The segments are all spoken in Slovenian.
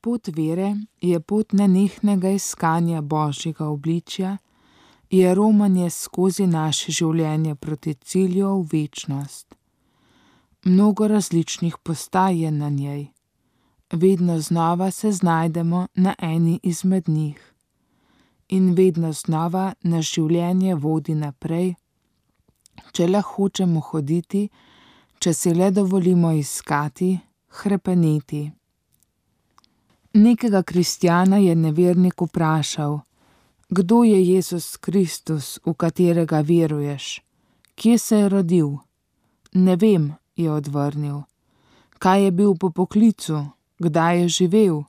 pot vere je pot nenehnega iskanja Božjega obličja, je romanje skozi naše življenje proti cilju v večnost. Mnogo različnih postaj je na njej. Vedno znova se znajdemo na eni izmed njih. In vedno znova nas življenje vodi naprej, če le hočemo hoditi, če si le dovolimo iskati, hrepeneti. Nekega kristjana je nevernik vprašal: kdo je Jezus Kristus, v katerega veruješ? Kje se je rodil? Ne vem, je odvrnil. Kaj je bil po poklicu? Kdaj je živel?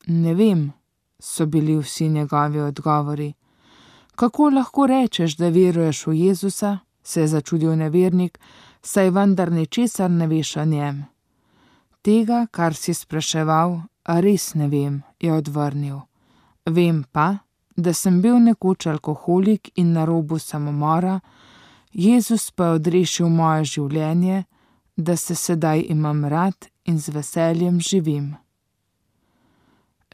Ne vem, so bili vsi njegovi odgovori. Kako lahko rečeš, da veruješ v Jezusa? Se je začudil nevernik, saj vendar ničesar ne veš o njem. Tega, kar si spraševal, res ne vem, je odvrnil. Vem pa, da sem bil nekoč alkoholik in na robu samomora, Jezus pa je odrešil moje življenje, da se sedaj imam rad in z veseljem živim.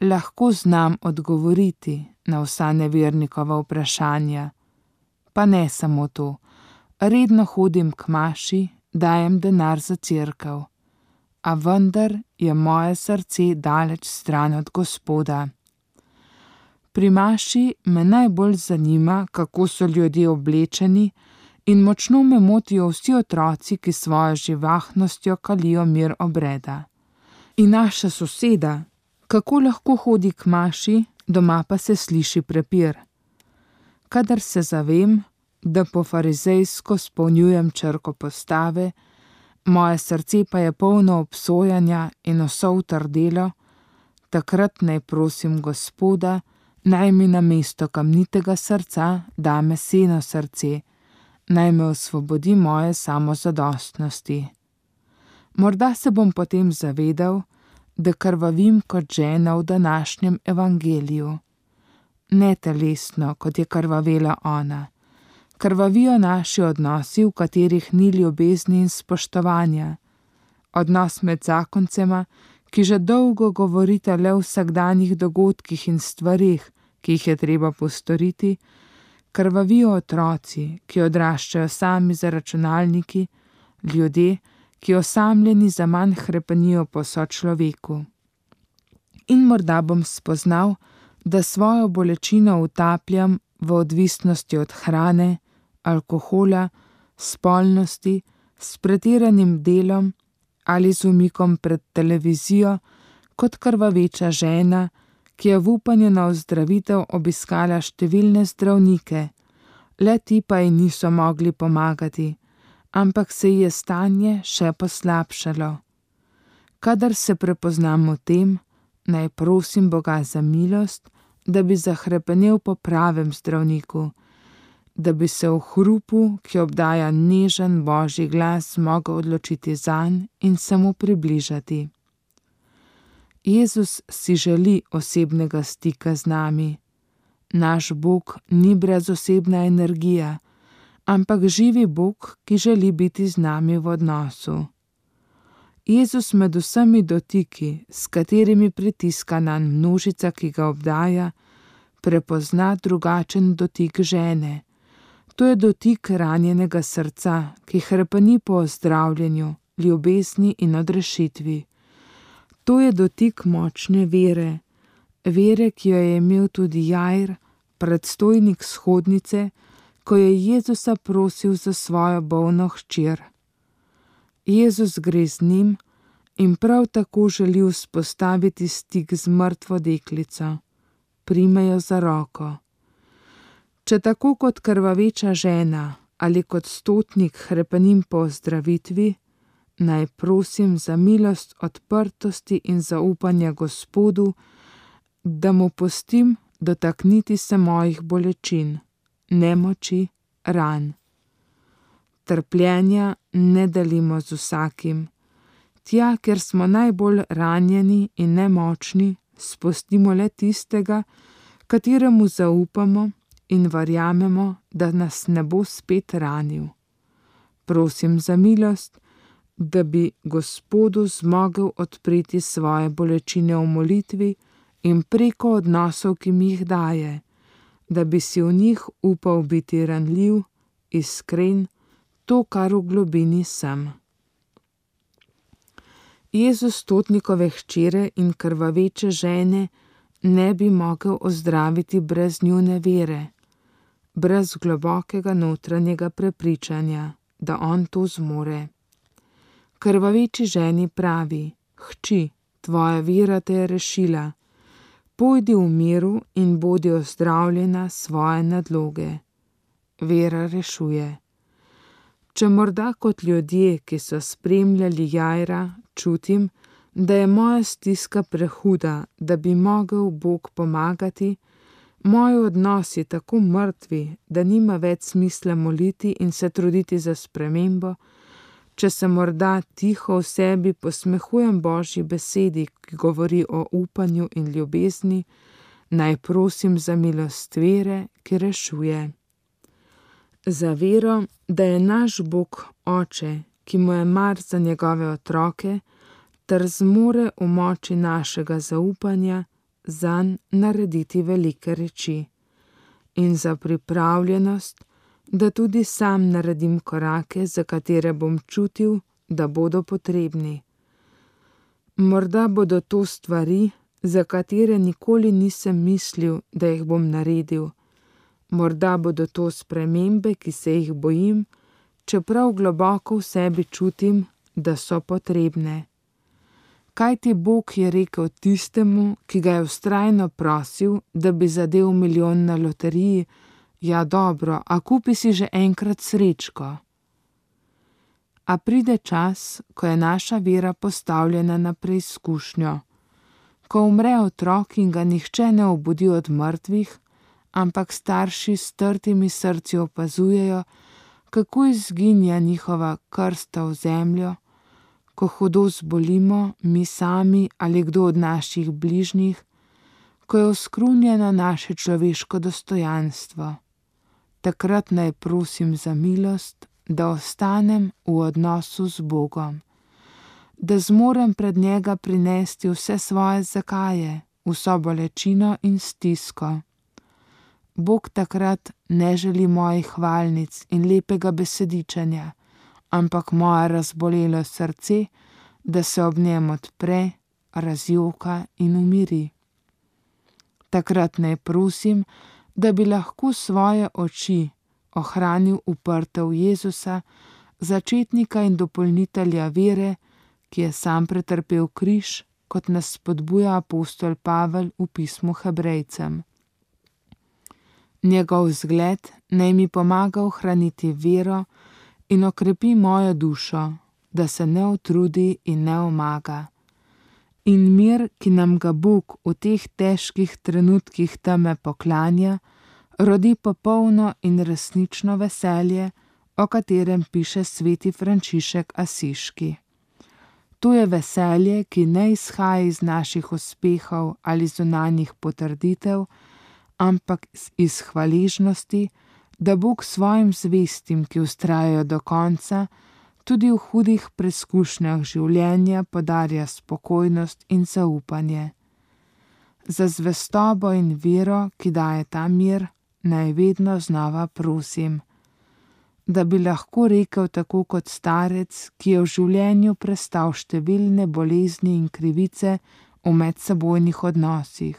Lahko znam odgovoriti na vsa nevernikova vprašanja, pa ne samo to. Redno hodim k maši, dajem denar za cerkev, a vendar je moje srce daleč stran od Gospoda. Pri maši me najbolj zanima, kako so ljudje oblečeni, in močno me motijo vsi otroci, ki svojo živahnostjo kalijo mir obreda. In naša soseda, kako lahko hodi k maši, doma pa se sliši prepir. Kadar se zavem, da po farizejsko spolnjujem črko postave, moje srce pa je polno obsojanja in vso utrdelo, takrat naj prosim Gospoda, naj mi namesto kamnitega srca da meseno srce, naj me osvobodi moje samozadostnosti. Morda se bom potem zavedal, da krvavim kot žena v današnjem evangeliju. Ne telesno, kot je krvavela ona. Krvavijo naši odnosi, v katerih ni ljubezni in spoštovanja. Odnos med zakoncema, ki že dolgo govorita le o vsakdanjih dogodkih in stvarih, ki jih je treba postoriti. Krvavijo otroci, ki odraščajo sami za računalniki, ljudje, ki osamljeni zaman hrepenijo po sočloveku. In morda bom spoznal, da svojo bolečino utapljam v odvisnosti od hrane, alkohola, spolnosti, s pretiranim delom ali z umikom pred televizijo, kot krvaveča žena, ki je v upanju na ozdravitev obiskala številne zdravnike, le ti pa ji niso mogli pomagati, ampak se ji je stanje še poslabšalo. Kadar se prepoznam v tem, naj prosim Boga za milost, da bi zahrepenel po pravem zdravniku, da bi se v hrupu, ki obdaja nežen Božji glas, mogel odločiti zanj in se mu približati. Jezus si želi osebnega stika z nami. Naš Bog ni brezosebna energija, ampak živi Bog, ki želi biti z nami v odnosu. Jezus med vsemi dotiki, s katerimi pritiska nanj množica, ki ga obdaja, prepozna drugačen dotik žene. To je dotik ranjenega srca, ki hrepeni po ozdravljenju, ljubezni in odrešitvi. To je dotik močne vere, vere, ki jo je imel tudi Jair, predstojnik shodnice, ko je Jezusa prosil za svojo bolno hčer. Jezus gre z njim in prav tako želi vzpostaviti stik z mrtvo deklico. Prime jo za roko. Če tako kot krvaveča žena ali kot stotnik hrepenim po ozdravitvi, naj prosim za milost odprtosti in zaupanja Gospodu, da mu pustim dotakniti se mojih bolečin, nemoči, ran. Trpljenja ne delimo z vsakim. Tja, kjer smo najbolj ranjeni in nemočni, spustimo le tistega, kateremu zaupamo in verjamemo, da nas ne bo spet ranil. Prosim za milost, da bi Gospodu zmogel odpreti svoje bolečine v molitvi in preko odnosov, ki mi jih daje, da bi si v njih upal biti ranljiv, iskren, to, kar v globini sem. Jezus stotnikove hčere in krvaveče žene ne bi mogel ozdraviti brez njune vere, brez globokega notranjega prepričanja, da on to zmore. Krvaveči ženi pravi: Hči, tvoja vera te je rešila, pojdi v miru in bodi ozdravljena svoje nadloge. Vera rešuje. Če morda kot ljudje, ki so spremljali Jaira, čutim, da je moja stiska prehuda, da bi mogel Bog pomagati, moji odnosi tako mrtvi, da nima več smisla moliti in se truditi za spremembo, če se morda tiho v sebi posmehujem Božji besedi, ki govori o upanju in ljubezni, naj prosim za milost vere, ki rešuje. Za vero, da je naš Bog Oče, ki mu je mar za njegove otroke, ter zmore v moči našega zaupanja zanj narediti velike reči. In za pripravljenost, da tudi sam naredim korake, za katere bom čutil, da bodo potrebni. Morda bodo to stvari, za katere nikoli nisem mislil, da jih bom naredil. Morda bodo to spremembe, ki se jih bojim, čeprav globoko v sebi čutim, da so potrebne. Kajti Bog je rekel tistemu, ki ga je vztrajno prosil, da bi zadel milijon na loteriji: ja, dobro, a kupi si že enkrat srečko. A pride čas, ko je naša vera postavljena na preizkušnjo, ko umre otrok in ga nihče ne obudi od mrtvih, ampak starši s strtimi srci opazujejo, kako izginja njihova krsta v zemljo, ko hudo zbolimo mi sami ali kdo od naših bližnjih, ko je oskrunjeno naše človeško dostojanstvo. Takrat naj prosim za milost, da ostanem v odnosu z Bogom, da zmorem pred njega prinesti vse svoje zakaje, vso bolečino in stisko. Bog takrat ne želi mojih hvalnic in lepega besedičenja, ampak moje razbolelo srce, da se ob njem odpre, razjoka in umiri. Takrat naj prosim, da bi lahko svoje oči ohranil uprte v Jezusa, začetnika in dopolnitelja vere, ki je sam pretrpel križ, kot nas spodbuja apostol Pavel v pismu Hebrejcem. Njegov zgled naj mi pomaga ohraniti vero in okrepi mojo dušo, da se ne utrudi in ne omaga. In mir, ki nam ga Bog v teh težkih trenutkih teme poklanja, rodi popolno in resnično veselje, o katerem piše sveti Frančišek Asiški. To je veselje, ki ne izhaja iz naših uspehov ali zunanjih potrditev, ampak iz hvaležnosti, da Bog svojim zvestim, ki vztrajajo do konca, tudi v hudih preskušnjah življenja podarja spokojnost in zaupanje. Za zvestobo in vero, ki daje ta mir, naj vedno znova prosim, da bi lahko rekel tako kot starec, ki je v življenju prestal številne bolezni in krivice v medsebojnih odnosih.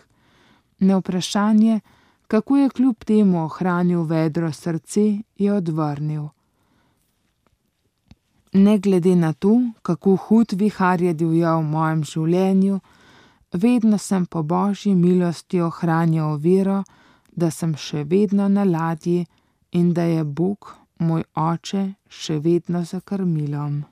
Na vprašanje, kako je kljub temu ohranil vedro srce, je odvrnil: ne glede na to, kako hud vihar je divjal v mojem življenju, vedno sem po Božji milosti ohranjal vero, da sem še vedno na ladji in da je Bog, moj Oče, še vedno za krmilom.